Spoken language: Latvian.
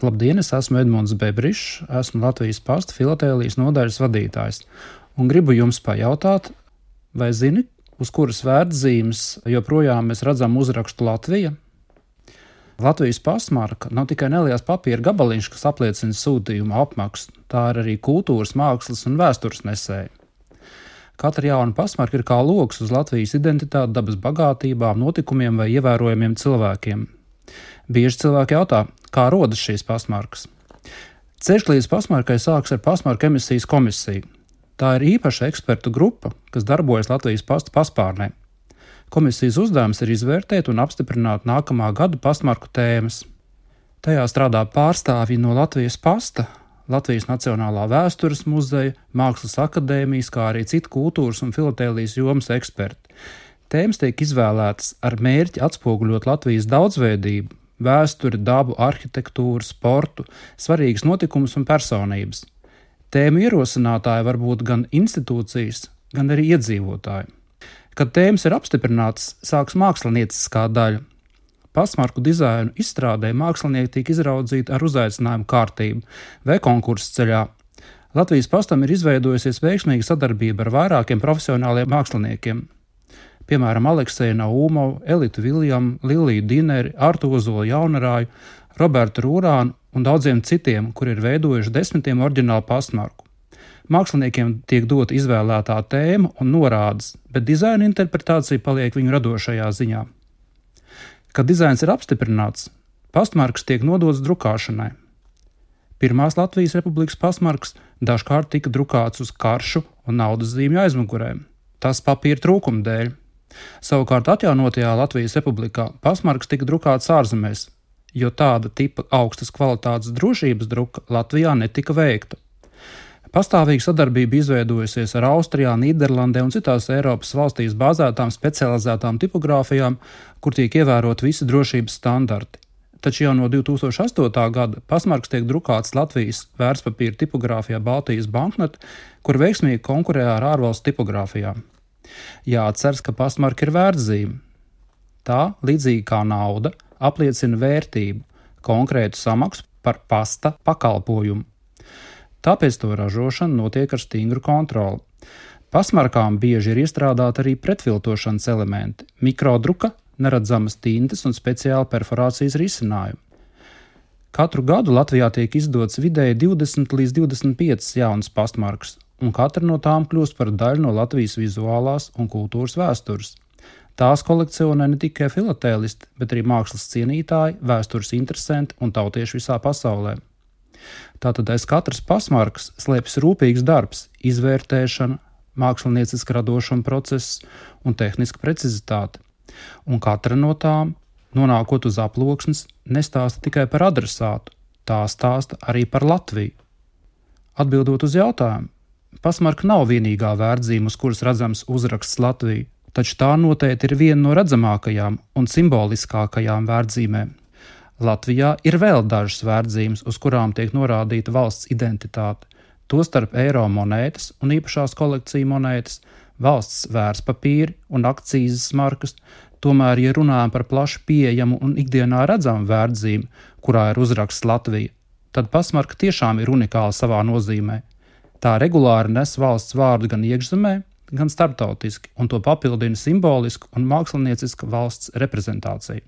Labdien, es esmu Edmunds Bebrišs, esmu Latvijas Pasta filatēlijas nodaļas vadītājs un gribu jums pajautāt, vai zini, uz kuras vērtzīmes joprojām mēs redzam uzrakstu Latvija? Latvijas pastmarka nav tikai neliels papīra gabaliņš, kas apliecina sūtījuma apmaksu, tā ir arī kultūras, mākslas un vēstures nesēja. Katra jauna pastmarka ir kā logs uz Latvijas identitāti, dabas bagātībām, notikumiem vai ievērojamiem cilvēkiem. Bieži cilvēki jautā, kā rodas šīs pastmarkas. Ceļš līdz pastmarkai sākas ar pastmarku emisijas komisiju. Tā ir īpaša ekspertu grupa, kas darbojas Latvijas pasta paspārnē. Komisijas uzdevums ir izvērtēt un apstiprināt nākamā gada pastmarku tēmas. Tajā strādā pārstāvji no Latvijas pasta, Latvijas Nacionālā vēstures muzeja, Mākslas akadēmijas, kā arī citu kultūras un filatēlijas jomas eksperti. Tēmas tiek izvēlētas ar mērķi atspoguļot Latvijas daudzveidību, vēsturi, dabu, arhitektūru, sportu, svarīgas notikumus un personības. Tēmu ierosinātāji var būt gan institūcijas, gan arī iedzīvotāji. Kad tēmas ir apstiprinātas, sāks mākslinieciskā daļa. Pastmarku dizainu izstrādē mākslinieki tiek izraudzīti ar uzaicinājumu kārtību vai konkursu ceļā. Latvijas pastam ir izveidojusies veiksmīga sadarbība ar vairākiem profesionāliem māksliniekiem. Piemēram, Alekseju Naumovu, Elitu Viljamu, Liliju Dineri, Artu Ozolu Jaunarāju, Robertu Rūrānu un daudziem citiem, kuri ir veidojuši desmitiem oriģinālu pastmarku. Māksliniekiem tiek dota izvēlētā tēma un norādes, bet dizaina interpretācija paliek viņu radošajā ziņā. Kad dizains ir apstiprināts, pastmarkas tiek nodotas drukāšanai. Pirmās Latvijas Republikas pastmarkas dažkārt tika drukāts uz karšu un naudas zīmju aizmugurēm. Tas papīra trūkuma dēļ. Savukārt atjaunotajā Latvijas Republikā pastmarkas tika drukātas ārzemēs, jo tāda tipa augstas kvalitātes drošības druka Latvijā netika veikta. Pastāvīga sadarbība izveidojusies ar Austrijā, Nīderlandē un citās Eiropas valstīs bāzētām specializētām tipogrāfijām, kur tiek ievērot visi drošības standarti. Taču jau no 2008. gada pastmarkas tiek drukātas Latvijas vērtspapīra tipogrāfijā Baltijas banknote, kur veiksmīgi konkurē ar ārvalstu tipogrāfijām. Jāatceras, ka pastmarka ir vērtzīme. Tā, līdzīgi kā nauda, apliecina vērtību, konkrētu samaksu par pasta pakalpojumu. Tāpēc to ražošana notiek ar stingru kontroli. Pastmarkām bieži ir iestrādāti arī pretviltošanas elementi, mikrodruka, neredzamas tintes un speciāla perforācijas risinājumi. Katru gadu Latvijā tiek izdots vidēji 20 līdz 25 jaunas pastmarkas, un katra no tām kļūst par daļu no Latvijas vizuālās un kultūras vēstures. Tās kolekcionē ne tikai filatēlisti, bet arī mākslas cienītāji, vēstures interesanti un tautieši visā pasaulē. Tātad aiz katras pastmarkas slēpjas rūpīgs darbs, izvērtēšana, mākslinieciska radošuma process un tehniska precizitāte. Un katra no tām, nonākot uz aploksnes, nestāsta tikai par adresātu, tā stāsta arī par Latviju. Atbildot uz jautājumu, pastmarka nav vienīgā vērtzīme, uz kuras redzams uzraksts Latvija, taču tā noteikti ir viena no redzamākajām un simboliskākajām vērtzīmēm. Latvijā ir vēl dažas vērtzīmes, uz kurām tiek norādīta valsts identitāte, tostarp eiro monētas un īpašās kolekciju monētas, valsts vērtspapīri un akcīzes markas. Tomēr, ja runājam par plaši pieejamu un ikdienā redzamu vērtzīmi, kurā ir uzraksts Latvija, tad pastmarka tiešām ir unikāla savā nozīmē. Tā regulāri nes valsts vārdu gan iekšzemē, gan starptautiski, un to papildina simboliska un mākslinieciska valsts reprezentācija.